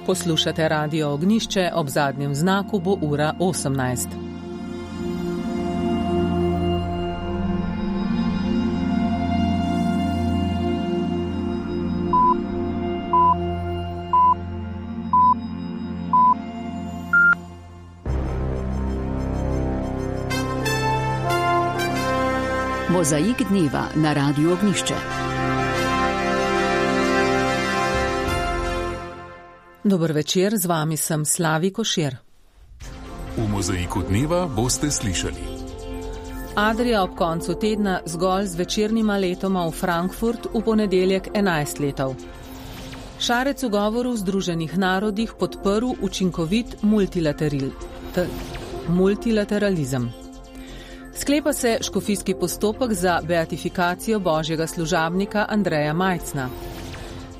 Poslušate Radio Ognjišče, ob zadnjem znaku bo ura 18. Mozaik dneva na Radiu Ognjišče. Dober večer, z vami sem Slavi Košir. V Mozaiku dneva boste slišali: Adria ob koncu tedna zgolj z večernima letoma v Frankfurt v ponedeljek 11 letov. Šarec v govoru v Združenih narodih podprl učinkovit multilateralizem. Sklepa se škofijski postopek za beatifikacijo božjega služabnika Andreja Majcna.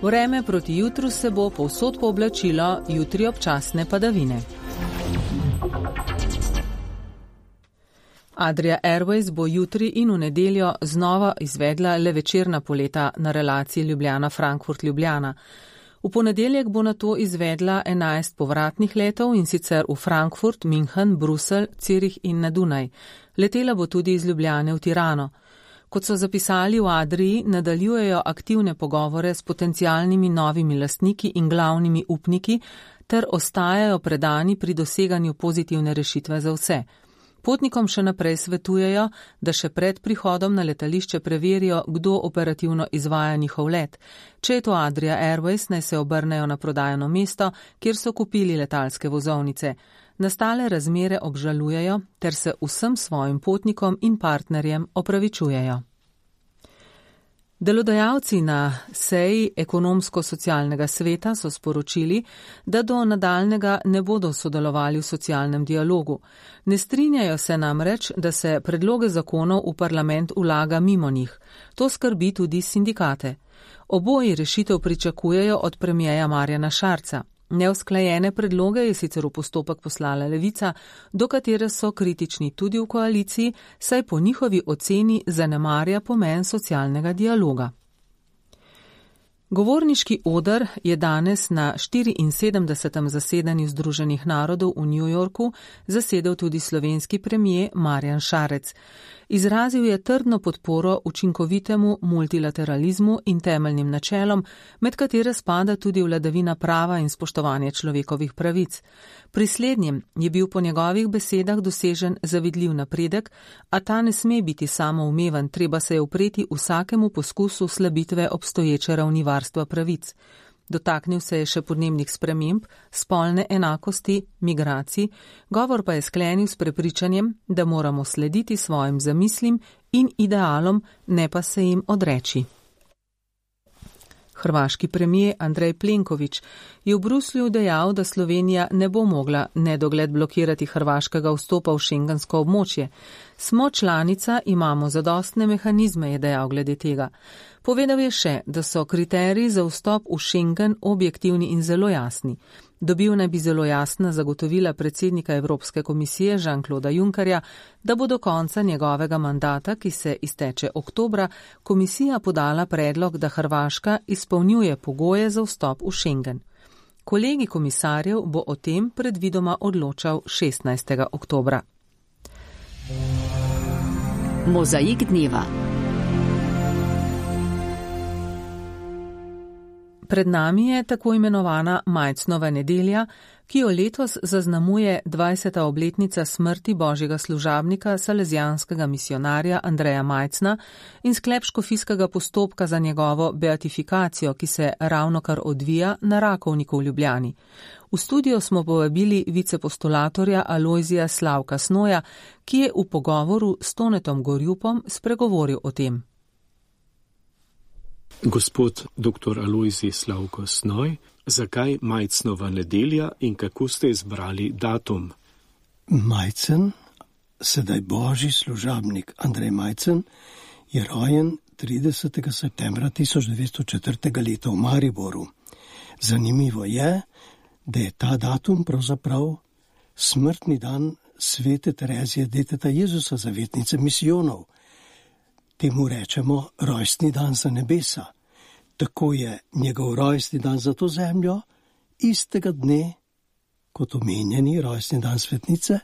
Vreme proti jutru se bo povsod pooblačilo, jutri občasne padavine. Adria Airways bo jutri in v nedeljo znova izvedla le večerna poleta na relaciji Ljubljana-Frankfurt-Ljubljana. V ponedeljek bo nato izvedla 11 povratnih letov, in sicer v Frankfurt, München, Bruselj, Cirih in na Dunaj. Letela bo tudi iz Ljubljane v Tirano. Kot so zapisali v Adriji, nadaljujejo aktivne pogovore s potencialnimi novimi lastniki in glavnimi upniki ter ostajajo predani pri doseganju pozitivne rešitve za vse. Potnikom še naprej svetujejo, da še pred prihodom na letališče preverijo, kdo operativno izvaja njihov let. Če je to Adria Airways, naj se obrnejo na prodajno mesto, kjer so kupili letalske vozovnice. Nastale razmere obžalujejo ter se vsem svojim potnikom in partnerjem opravičujejo. Delodajalci na seji ekonomsko-socialnega sveta so sporočili, da do nadaljnega ne bodo sodelovali v socialnem dialogu. Ne strinjajo se namreč, da se predloge zakonov v parlament vlaga mimo njih. To skrbi tudi sindikate. Oboji rešitev pričakujejo od premierja Marjana Šarca. Neusklajene predloge je sicer v postopek poslala Levica, do katere so kritični tudi v koaliciji, saj po njihovi oceni zanemarja pomen socialnega dialoga. Govorniški oder je danes na 74. zasedanju Združenih narodov v New Yorku zasedel tudi slovenski premier Marjan Šarec. Izrazil je trdno podporo učinkovitemu multilateralizmu in temeljnim načelom, med katere spada tudi vladavina prava in spoštovanje človekovih pravic. Pri slednjem je bil po njegovih besedah dosežen zavidljiv napredek, a ta ne sme biti samoumeven, treba se je upreti vsakemu poskusu slabitve obstoječe ravni varstva pravic. Dotaknil se je še podnebnih sprememb, spolne enakosti, migracij, govor pa je sklenil s prepričanjem, da moramo slediti svojim zamislim in idealom, ne pa se jim odreči. Hrvaški premijer Andrej Plenković je v Bruslju dejal, da Slovenija ne bo mogla nedogled blokirati hrvaškega vstopa v šengensko območje. Smo članica, imamo zadostne mehanizme, je dejal glede tega. Povedal je še, da so kriteriji za vstop v Schengen objektivni in zelo jasni. Dobil naj bi zelo jasna zagotovila predsednika Evropske komisije Jean-Clauda Junckerja, da bo do konca njegovega mandata, ki se izteče oktobra, komisija podala predlog, da Hrvaška izpolnjuje pogoje za vstop v Schengen. Kolegi komisarjev bo o tem predvidoma odločal 16. oktobra. Mozaik dneva. Pred nami je tako imenovana Majcnova nedelja, ki jo letos zaznamuje 20. obletnica smrti božjega služabnika, salezijanskega misionarja Andreja Majcna in sklep škofijskega postopka za njegovo beatifikacijo, ki se ravnokar odvija na Rakovniku v Ljubljani. V studio smo povabili vicepostulatorja Alojzija Slavka Snoja, ki je v pogovoru s Tonetom Gorjupom spregovoril o tem. Gospod dr. Alojzij Slavko Snoj, zakaj Majcnova nedelja in kako ste izbrali datum? Majcen, sedaj božji služabnik Andrej Majcen, je rojen 30. septembra 1904. leta v Mariboru. Zanimivo je, da je ta datum pravzaprav smrtni dan svete Terezije deteta Jezusa, zavetnice misijonov. Temu rečemo rojstni dan za nebesa. Tako je njegov rojstni dan za to zemljo istega dne kot omenjeni rojstni dan svetnice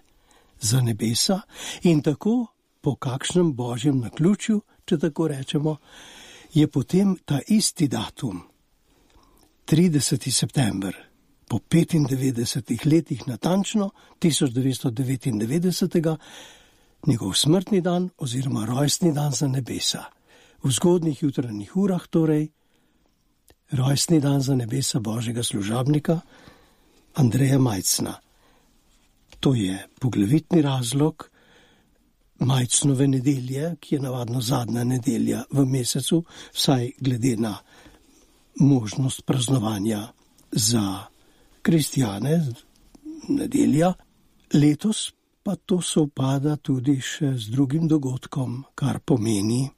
za nebesa in tako po kakšnem božjem naključju, če tako rečemo, je potem ta isti datum, 30. september, po 95 letih natančno, 1999, njegov smrtni dan oziroma rojstni dan za nebesa. V zgodnjih jutranjih urah torej, rojstni dan za nebesa božjega služabnika Andreja Majcna. To je poglavitni razlog Majcnove nedelje, ki je navadno zadnja nedelja v mesecu, vsaj glede na možnost praznovanja za kristjane, nedelja. Letos pa to sovpada tudi še z drugim dogodkom, kar pomeni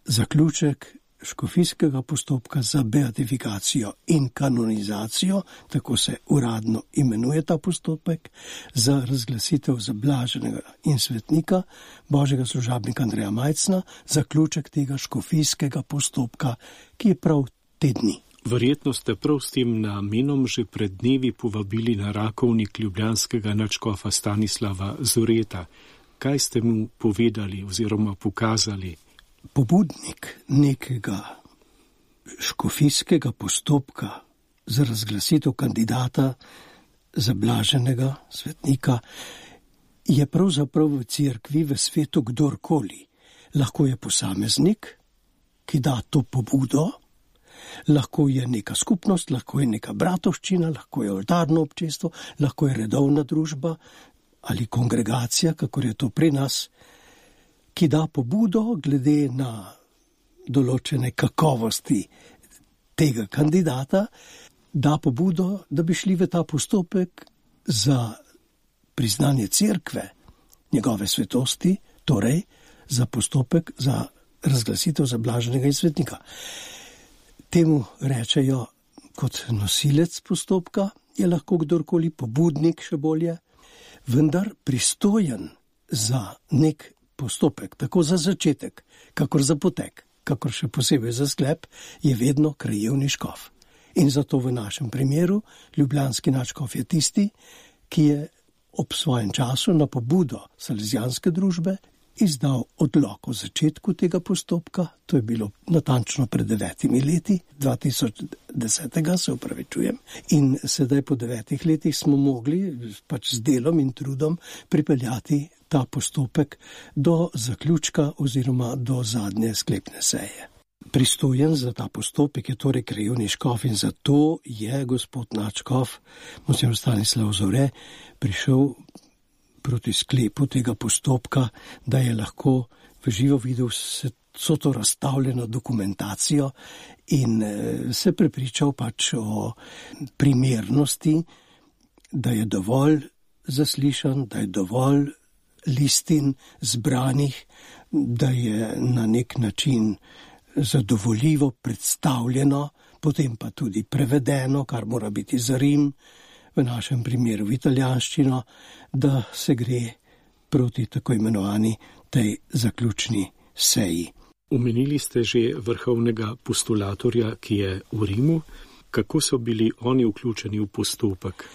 zaključek škofijskega postopka za beatifikacijo in kanonizacijo, tako se uradno imenuje ta postopek, za razglasitev za blaženega in svetnika božjega služabnika Andreja Majcna, zaključek tega škofijskega postopka, ki je prav te dni. Verjetno ste prav s tem namenom že pred dnevi povabili na rakovnik ljubljanskega nadškofa Stanislava Zoreta. Kaj ste mu povedali oziroma pokazali? Pobudnik nekega škofijskega postopka za razglasitev kandidata za blaženega svetnika je pravzaprav v cerkvi, v svetu kdorkoli. Lahko je posameznik, ki da to pobudo, lahko je neka skupnost, lahko je neka bratovščina, lahko je oltarno občestvo, lahko je redovna družba ali kongregacija, kakor je to pri nas, ki da pobudo glede na določene kakovosti tega kandidata, da pobudo, da bi šli v ta postopek za priznanje cerkve, njegove svetosti, torej za postopek za razglasitev za blaženega in svetnika. Temu rečejo kot nosilec postopka, je lahko kdorkoli, pobudnik še bolje, vendar pristojen za nek postopek, tako za začetek, kakor za potek, kakor še posebej za sklep, je vedno krajevni škof. In zato v našem primeru ljubljanski nadškof je tisti, ki je ob svojem času na pobudo Salezijanske družbe izdal odlok o začetku tega postopka, to je bilo natančno pred 9 leti, 2010, se upravičujem, in sedaj po 9 letih smo mogli pač z delom in trudom pripeljati ta postopek do zaključka oziroma do zadnje sklepne seje. Pristojen za ta postopek je torej krajevni škof in zato je gospod nadškof, monsignor Stanislav Zore, prišel proti sklepu tega postopka, da je lahko v živo videl vso to razstavljeno dokumentacijo in se prepričal pač o primernosti, da je dovolj zaslišan, da je dovolj listin zbranih, da je na nek način zadovoljivo predstavljeno, potem pa tudi prevedeno, kar mora biti za Rim, v našem primeru v italijanščino, da se gre proti tako imenovani tej zaključni seji. Omenili ste že vrhovnega postulatorja, ki je v Rimu. Kako so bili oni vključeni v postopek?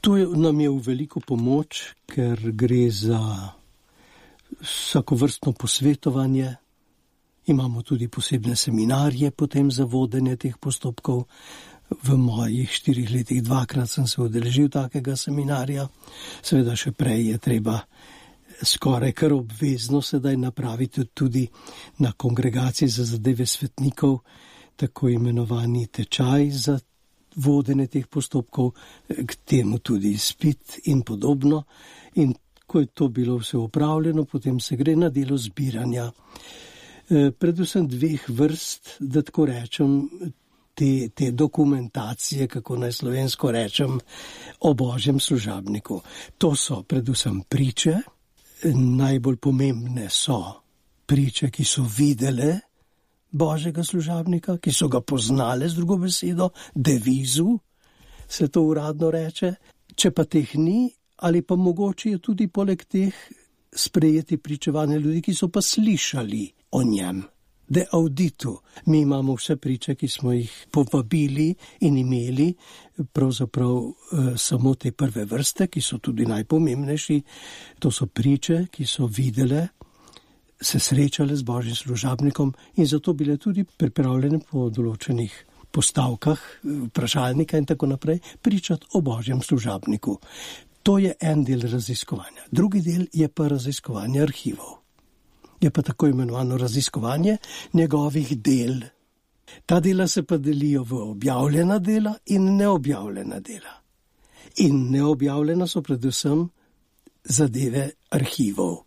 To nam je v veliko pomoč, ker gre za vsakovrstno posvetovanje. Imamo tudi posebne seminarje potem za vodenje teh postopkov. V mojih 4 letih 2-krat sem se udeležil takega seminarja. Seveda še prej je treba skoraj kar obvezno sedaj napraviti tudi na kongregaciji za zadeve svetnikov, tako imenovani tečaj za vodenje teh postopkov, k temu tudi izpit in podobno. In ko je to bilo vse opravljeno, potem se gre na delo zbiranja. Predvsem 2 vrst, da tako rečem, te dokumentacije, kako naj slovensko rečem, o božjem služabniku. To so predvsem priče, najbolj pomembne so priče, ki so videle božjega služabnika, ki so ga poznale, z drugo besedo, devizu, se to uradno reče. Če pa teh ni, ali pa mogoče je tudi poleg teh sprejeti pričevanje ljudi, ki so pa slišali o njem, de auditu. Mi imamo vse priče, ki smo jih povabili in imeli, pravzaprav samo te prve vrste, ki so tudi najpomembnejši. To so priče, ki so videle, se srečale z Božjim služabnikom in zato bile tudi pripravljene po določenih postavkah, vprašalnika in tako naprej, pričati o Božjem služabniku. To je en del raziskovanja. Drugi del je pa raziskovanje arhivov. Je pa tako imenovano raziskovanje njegovih del. Ta dela se pa delijo v objavljena dela in neobjavljena dela. In neobjavljena so predvsem zadeve arhivov.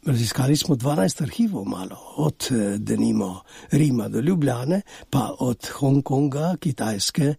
Raziskali smo 12 arhivov malo, od denimo Rima do Ljubljane, pa od Hongkonga, Kitajske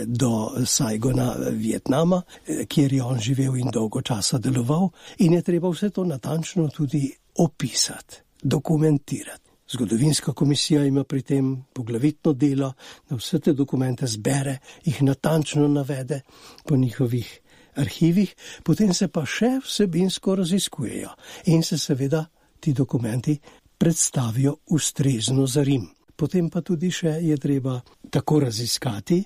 do Saigona, Vietnama, kjer je on živel in dolgo časa deloval. In je treba vse to natančno tudi opisati, dokumentirati. Zgodovinska komisija ima pri tem poglavitno delo, da vse te dokumente zbere, jih natančno navede po njihovih arhivih, potem se pa še vsebinsko raziskujejo in se seveda ti dokumenti predstavijo ustrezno za Rim. Potem pa tudi še je treba tako raziskati,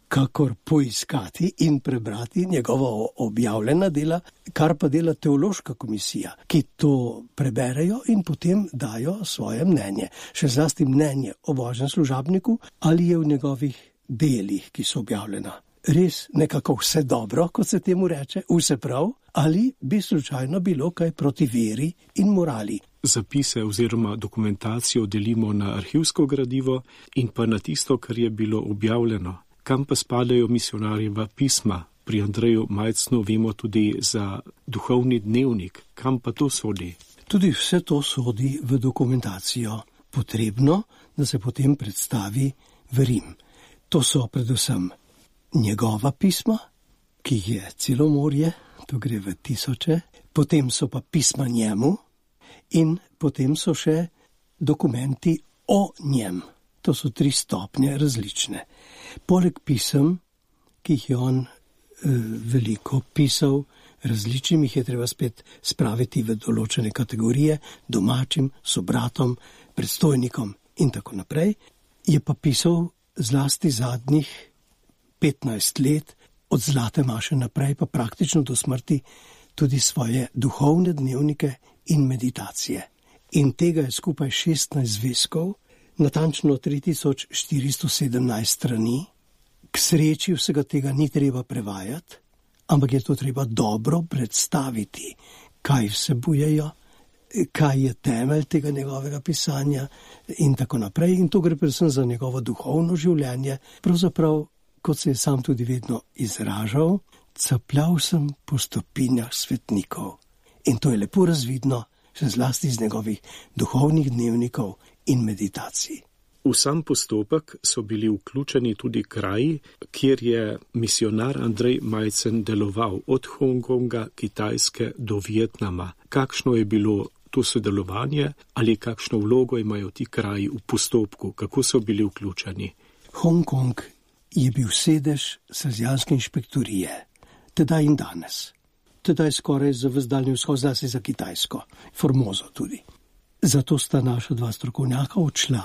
kakor poiskati in prebrati njegova objavljena dela, kar pa dela teološka komisija, ki to preberejo in potem dajo svoje mnenje. Še zlasti mnenje o Božjem služabniku ali je v njegovih delih, ki so objavljena. Res nekako vse dobro, kot se temu reče, vse prav, ali bi slučajno bilo kaj proti veri in morali. Zapise oziroma dokumentacijo delimo na arhivsko gradivo in pa na tisto, kar je bilo objavljeno. Kam pa spadajo misionarjeva pisma? Pri Andreju Majcnu vemo tudi za duhovni dnevnik. Kam pa to sodi? Tudi vse to sodi v dokumentacijo. Potrebno, da se potem predstavi v Rim. To so predvsem njegova pisma, ki jih je celo morje, to gre v tisoče, potem so pa pisma njemu in potem so še dokumenti o njem. To so 3 stopnje različne. Poleg pisem, ki jih je on veliko pisal, različnim jih je treba spet spraviti v določene kategorije, domačim, sobratom, predstojnikom in tako naprej, je pa pisal zlasti zadnjih 15 let, od Zlate maše naprej, pa praktično do smrti, tudi svoje duhovne dnevnike in meditacije. In tega je skupaj 16 zvezkov, natančno 3417 strani. K sreči vsega tega ni treba prevajati, ampak je to treba dobro predstaviti, kaj vsebujejo, kaj je temelj tega njegovega pisanja in tako naprej. In to gre predvsem za njegovo duhovno življenje. Pravzaprav, kot se je sam tudi vedno izražal, capljal sem po stopinjah svetnikov. In to je lepo razvidno, še zlasti iz njegovih duhovnih dnevnikov in meditacij. V sam postopek so bili vključeni tudi kraji, kjer je misionar Andrej Majcen deloval od Hongkonga, Kitajske do Vietnama. Kakšno je bilo to sodelovanje ali kakšno vlogo imajo ti kraji v postopku, kako so bili vključeni? Hongkong je bil sedež salesijanske inšpektorije, tedaj in danes. Tedaj skoraj za ves daljni vzhod, zlasti za Kitajsko, Formozo tudi. Zato sta naša 2 strokovnjaka odšla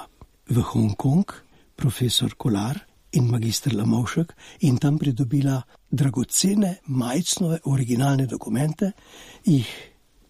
v Hongkong, profesor Kolar in magister Lamovšek, in tam pridobila dragocene Majcnove originalne dokumente, jih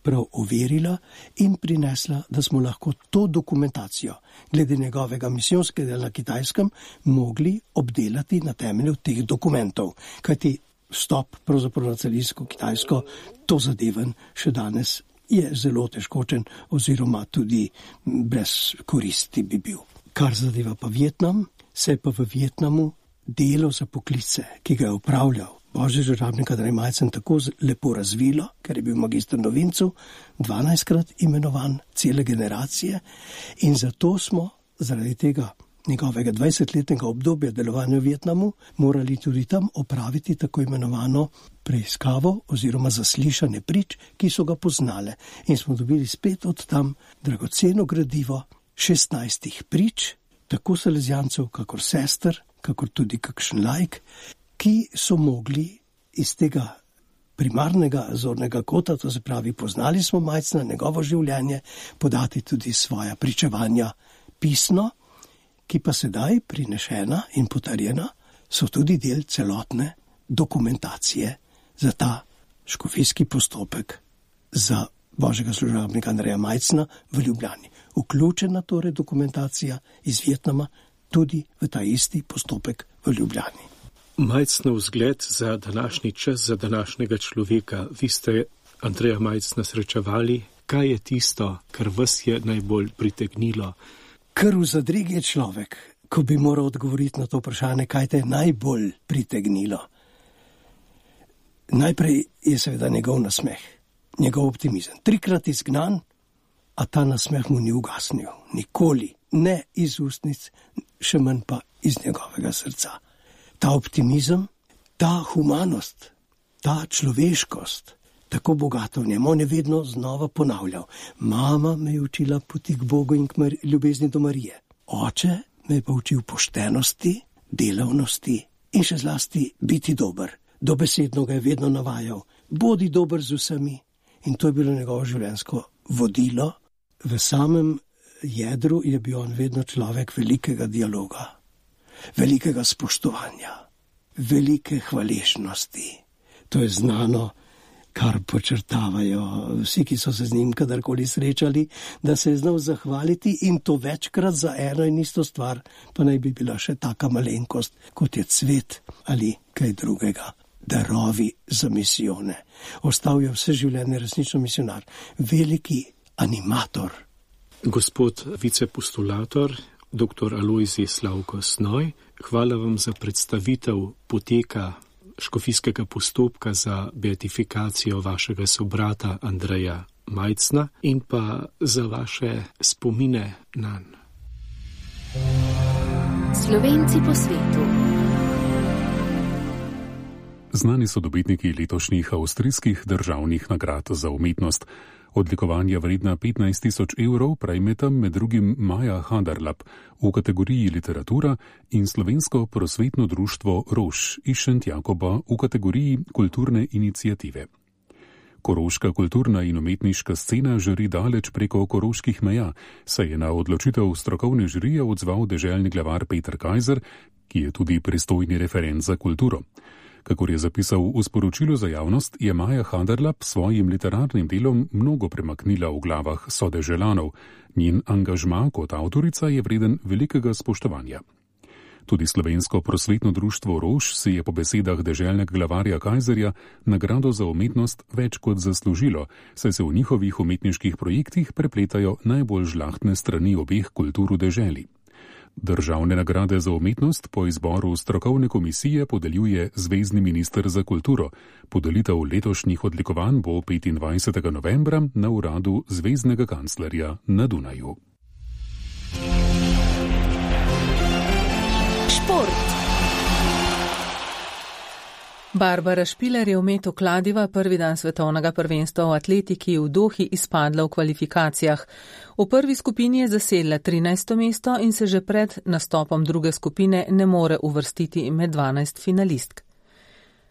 prav overila in prinesla, da smo lahko to dokumentacijo glede njegovega misijonskega dela na Kitajskem mogli obdelati na temelju teh dokumentov. Kajti vstop pravzaprav na celinsko Kitajsko, to zadeven še danes je zelo težkočen oziroma tudi brez koristi bi bil. Kar zadeva pa Vietnam, se je pa v Vietnamu delo za poklice, ki ga je upravljal Božji služabnik Andrej Majcen, tako lepo razvilo, ker je bil magister novincev, 12-krat imenovan, cele generacije, in zato smo zaradi tega njegovega 20-letnega obdobja delovanja v Vietnamu morali tudi tam opraviti tako imenovano preiskavo oziroma zaslišanje prič, ki so ga poznale. In smo dobili spet od tam dragoceno gradivo 16 prič, tako salezijancev, kakor sester, kakor tudi kakšen laik, ki so mogli iz tega primarnega zornega kota, to se pravi, poznali smo Majcna, njegovo življenje, podati tudi svoja pričevanja, pisno, ki pa sedaj prinešena in potrjena, so tudi del celotne dokumentacije za ta škofijski postopek za božjega služabnika Andreja Majcna v Ljubljani. Vključena torej dokumentacija iz Vietnama tudi v ta isti postopek v Ljubljani. Majcnov vzgled za današnji čas, za današnjega človeka. Vi ste Andreja Majcna srečevali. Kaj je tisto, kar vas je najbolj pritegnilo? Kar v zadrigi je človek, ko bi moral odgovoriti na to vprašanje, kaj te je najbolj pritegnilo. Najprej je seveda njegov nasmeh, njegov optimizem. 3krat izgnan, a ta nasmeh mu ni ugasnil. Nikoli, ne iz ustnic, še manj pa iz njegovega srca. Ta optimizem, ta humanost, ta človeškost, tako bogato v njemu, on je vedno znova ponavljal. Mama me je učila poti k Bogu in k ljubezni do Marije. Oče me je pa učil poštenosti, delavnosti in še zlasti biti dober. Dobesedno ga je vedno navajal. Bodi dober z vsemi. In to je bilo njegovo življenjsko vodilo. V samem jedru je bil on vedno človek velikega dialoga, velikega spoštovanja, velike hvaležnosti. To je znano, kar počrtavajo vsi, ki so se z njim kadarkoli srečali, da se je znal zahvaliti in to večkrat za eno in isto stvar, pa naj bi bila še taka malenkost, kot je cvet ali kaj drugega. Darovi za misijone. Ostal je vse življenje resnično misionar, veliki animator. Gospod vicepostulator, dr. Alojzij Slavko Snoj, hvala vam za predstavitev poteka škofijskega postopka za beatifikacijo vašega sobrata Andreja Majcna in pa za vaše spomine nanj. Slovenci po svetu. Znani so dobitniki letošnjih avstrijskih državnih nagrad za umetnost. Odlikovanja vredna 15 000 evrov prejmeta med drugim Maja Haderlap v kategoriji literatura in Slovensko prosvetno društvo Roš iz Šentjakoba v kategoriji kulturne iniciative. Koroška kulturna in umetniška scena žari daleč preko koroških meja, saj je na odločitev strokovne žirije odzval deželni glavar Peter Kajzer, ki je tudi pristojni referent za kulturo. Kakor je zapisal v sporočilu za javnost, je Maja Haderlap svojim literarnim delom mnogo premaknila v glavah sodeželanov. Njen angažma kot avtorica je vreden velikega spoštovanja. Tudi Slovensko prosvetno društvo Roš si je po besedah deželnega glavarja Kajzerja nagrado za umetnost več kot zaslužilo, saj se v njihovih umetniških projektih prepletajo najbolj žlahtne strani obeh kultur v deželi. Državne nagrade za umetnost po izboru strokovne komisije podeljuje zvezni minister za kulturo. Podelitev letošnjih odlikovanj bo 25. novembra na uradu zveznega kanclerja na Dunaju. Šport. Barbara Špiler je v metu kladiva prvi dan svetovnega prvenstva v atletiki v Dohi izpadla v kvalifikacijah. V prvi skupini je zasedla 13. mesto in se že pred nastopom druge skupine ne more uvrstiti med 12 finalistk.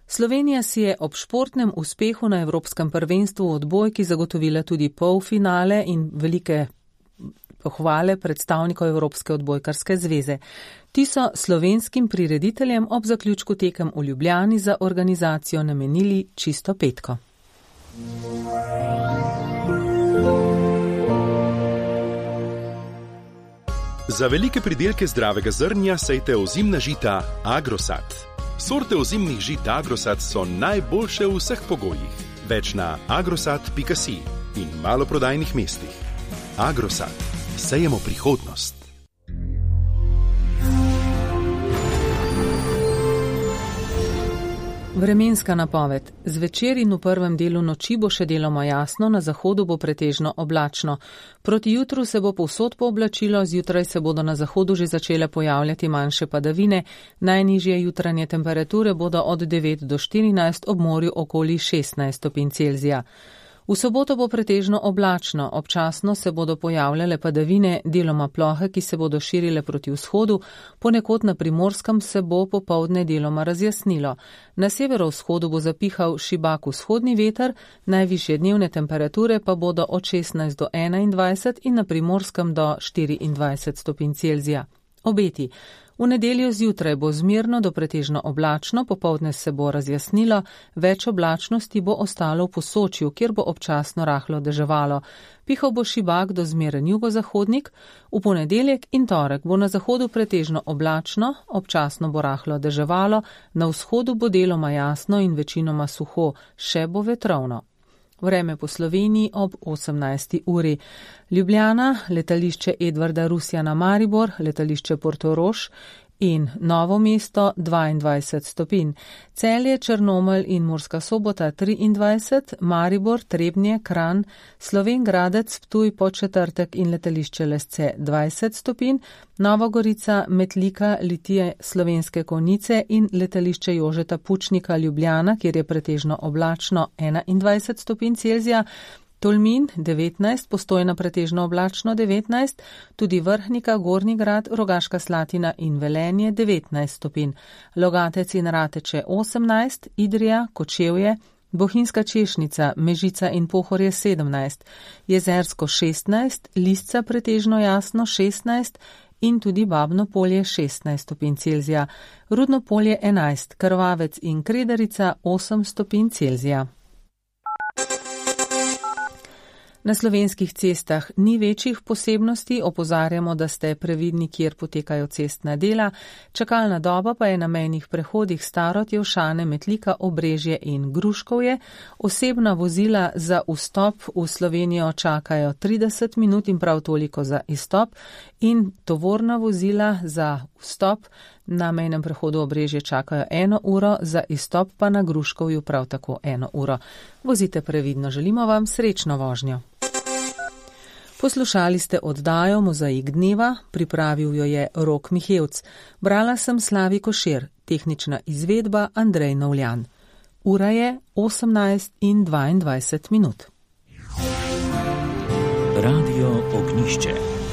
Slovenija si je ob športnem uspehu na Evropskem prvenstvu v odbojki zagotovila tudi polfinale in velike pohvale predstavnikov Evropske odbojkarske zveze. Ti so slovenskim prirediteljem ob zaključku tekem v Ljubljani za organizacijo namenili čisto petko. Za velike pridelke zdravega zrnja sejte ozimna žita Agrosat. Sorte ozimnih žit Agrosat so najboljše v vseh pogojih. Več na agrosat.si in maloprodajnih mestih. Agrosat. Sejemo prihodnost. Vremenska napoved. Zvečer in v prvem delu noči bo še deloma jasno, na zahodu bo pretežno oblačno. Proti jutru se bo povsod pooblačilo, zjutraj se bodo na zahodu že začele pojavljati manjše padavine, najnižje jutranje temperature bodo od 9 do 14, ob morju okoli 16 stopinj Celzija. V soboto bo pretežno oblačno, občasno se bodo pojavljale padavine, deloma plohe, ki se bodo širile proti vzhodu, ponekod na Primorskem se bo popoldne deloma razjasnilo. Na severovzhodu bo zapihal šibak vzhodni veter, najvišje dnevne temperature pa bodo od 16 do 21 in na Primorskem do 24 stopinj Celzija. Obeti. V nedeljo zjutraj bo zmerno do pretežno oblačno, popoldne se bo razjasnilo, več oblačnosti bo ostalo v Posočju, kjer bo občasno rahlo deževalo. Pihal bo šibak do zmeren jugozahodnik, v ponedeljek in torek bo na zahodu pretežno oblačno, občasno bo rahlo deževalo, na vzhodu bo deloma jasno in večinoma suho, še bo vetrovno. Vreme po Sloveniji ob 18. uri. Ljubljana, letališče Edvarda Rusjana Maribor, letališče Portorož in Novo mesto 22 stopinj. Celje, Črnomelj in Murska Sobota 23, Maribor, Trebnje, Kranj, Slovenj Gradec, Ptuj, Podčetrtek in letališče Lesce 20 stopinj, Nova Gorica, Metlika, Litije, Slovenske Konjice in letališče Jožeta Pučnika Ljubljana, kjer je pretežno oblačno 21 stopinj Celzija, Tolmin 19, Postojna pretežno oblačno 19, tudi Vrhnika, Gornji Grad, Rogaška Slatina in Velenje 19 stopinj, Logatec in Rateče 18, Idrija, Kočevje, Bohinjska Češnica, Mežica in Pohorje 17, Jezersko 16, Lisca pretežno jasno 16 in tudi Babno Polje 16 stopinj Celzija, Rudno Polje 11, Krvavec in Kredarica 8 stopinj Celzija. Na slovenskih cestah ni večjih posebnosti, opozarjamo, da ste previdni, kjer potekajo cestna dela, čakalna doba pa je na mejnih prehodih Starod, Jelšane, Metlika, Obrežje in Gruškovje. Osebna vozila za vstop v Slovenijo čakajo 30 minut in prav toliko za izstop in tovorna vozila za vstop na mejnem prehodu Obrežje čakajo 1 uro, za izstop pa na Gruškovju prav tako 1 uro. Vozite previdno, želimo vam srečno vožnjo. Poslušali ste oddajo Mozaik dneva, pripravil jo je Rok Mihevc. Brala sem Slavi Košir, tehnična izvedba Andrej Novljan. Ura je 18:22. Radio Ognjišče.